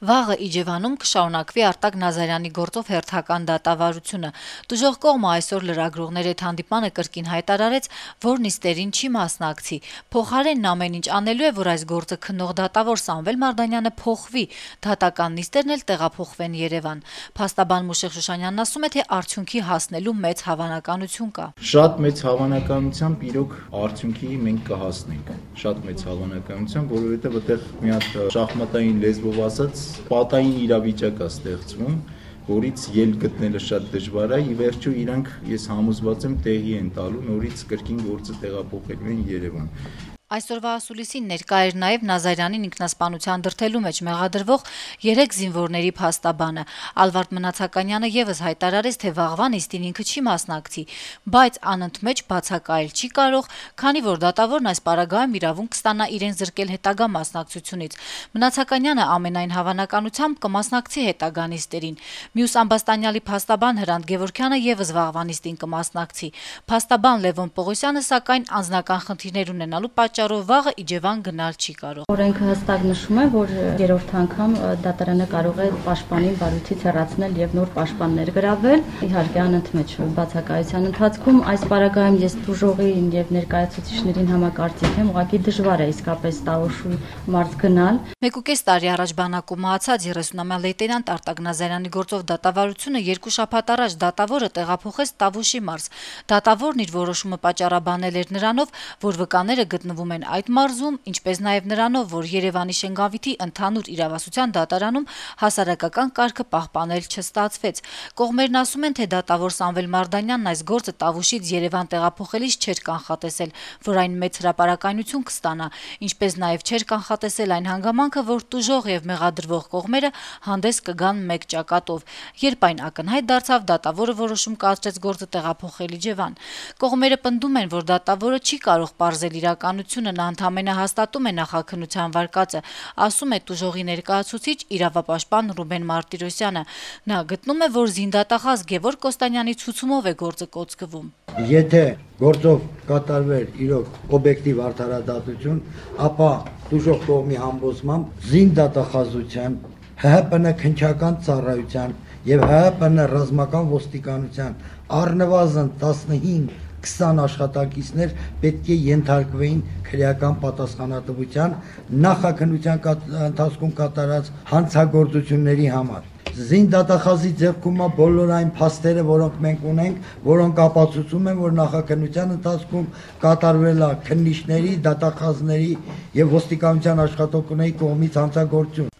Վաղը Իջևանում կշարունակվի Արտակ Նազարյանի գործով հերթական դատավարությունը։ Տուժող կողմը այսօր լրագրողների հետ հանդիպմանը կրկին հայտարարեց, որ նիստերին չի մասնակցի։ Փոխարենն ամեն ինչ անելու է, որ այս գործը քննող դատավոր Սամվել Մարդանյանը փոխվի, դատական նիստերն էլ տեղափոխվեն Երևան։ Փաստաբան Մուշեղ Շուշանյանն ասում է, թե արդյունքի հասնելու մեծ հավանականություն կա։ Շատ մեծ հավանականությամբ իրոք արդյունքի մենք կհասնենք։ Շատ մեծ հավանականությամբ, որովհետև այդտեղ մի հատ շախմատային լեզվով ասած պատային իրավիճակ է ստեղծվում, որից ելք գտնելը շատ դժվար է, ի վերջո իրանք ես համոզված եմ տեղի են տալու նորից կրկին գործը տեղափոխելու են Երևան։ Այսօրվա ասուլիսին ներկա էր նաև Նազարյանին ինքնասպանության դրդելու մեջ մեղադրվող 3 զինվորների փաստաբանը։ Ալվարդ Մնացականյանը եւս հայտարարեց, թե վաղվա նիստին ինքը չի մասնակցի, բայց անընդմեջ բացակայել չի կարող, քանի որ դատավորն այս պարագայում իրավունք կստանա իրեն զրկել հետագա մասնակցությունից։ Մնացականյանը ամենայն հավանականությամբ կմասնակցի հետագա նիստերին։ Մյուս ամբաստանյալի փաստաբան Հրանտ Գևորգյանը եւս վաղվա նիստին կմասնակցի։ Փաստաբան Լևոն Պողոսյանը սակայն անձնական խնդիրներ ունենալու պատճառով վաղը Իջևան գնալ չի կարող։ Օրենքը հստակ նշում է, որ երրորդ անգամ դատարանը կարող է պաշտպանին բարույցից հեռացնել եւ նոր պաշտպան ներգրավել։ Իհարկե անընդմեջ բացակայության ընթացքում այս պարագայում ես դժողին եւ ներկայացուցիչներին համակարծիք եմ, ուղղակի դժվար է իսկապես Տավուշի մարզ գնալ։ 1.5 տարի առաջ բանակում մահացած 30-ամյա լեյտենանտ Արտակ Նազարյանի գործով դատավարությունը 2 շաբաթ առաջ դատավորը տեղափոխեց Տավուշի մարզ։ Դատավորն իր որոշումը պատճառաբանել էր նրանով, որ վկաները գտնվում են այդ մարզում, ինչպես նաև նրանով, որ Երևանի Շենգավիթի ընդհանուր իրավասության դատարանում հասարակական կարգը պահպանել չստացվեց։ Կողմերն ասում են, թե դատավոր Սամվել Մարդանյանն այս գործը Տավուշից Երևան տեղափոխելիս չէր կանխատեսել, որ այն մեծ հրապարակայնություն կստանա, ինչպես նաև չէր կանխատեսել այն հանգամանքը, որ տուժող եւ մեղադրվող կողմերը հանդես կգան մեկ ճակատով։ Երբ այն ակնհայտ դարձավ, դատավորը որոշում կայացրեց գործը տեղափոխել Իջևան։ Կողմերը պնդում են, որ դատավորը չի կարող պարզել իրականությունը, նա ընդամենը հաստատում է նախաքննության վարկածը, ասում է տուժողի ներկայացուցիչ իրավապաշտպան Ռուբեն Մարտիրոսյանը։ Նա գտնում է, որ զինդատախազ Գևորգ Կոստանյանի ցուցումով է գործը կոծկվում։ Եթե գործով կատարվեր իրոք օբյեկտիվ արդարադատություն, ապա տուժող կողմի համոզմամբ զինդատախազության, ՀՀՊՆ քննչական ծառայության եւ ՀՀՊՆ ռազմական ոստիկանության առնվազն 15-20 աշխատակիցներ պետք է ենթարկվեին քրեական պատասխանատվության նախաքննության ընթացքում կատարած հանցագործությունների համար։ Զինդատախազի ձեռքում բոլոր այն փաստերը, որոնք մենք ունենք, որոնք ապացուցում են, որ նախաքննության ընթացքում կատարվել է քննիչների, դատախազների եւ ոստիկանության աշխատողների կողմից հանցագործություն։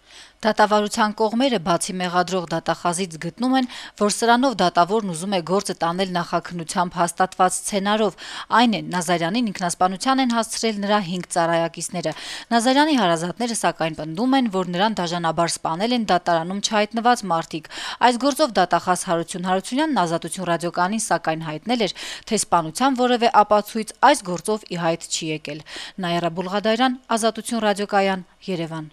Դատավարության կողմերը բացի մեղադրող դատախազից գտնում են, որ սրանով դատավորն ուզում է գործը տանել նախաքննությամբ հաստատված սցենարով, այն է Նազարյանին ինքնասպանության են հասցրել նրա 5 ծառայակիցները։ Նազարյանի հարազատները սակայն պնդում են, որ նրան դաժանաբար սպանել են դատարանում չհայտնված մարդիկ։ Այս գործով դատախազ Հարություն Հարությունյանն Ազատություն ռադիոկայանին սակայն հայտնել էր, թե սպանության որևէ ապացույց այս գործով ի հայտ չի եկել։ Նաիրա Բուլղադարյան, Ազատություն ռադիոկայան, Երևան։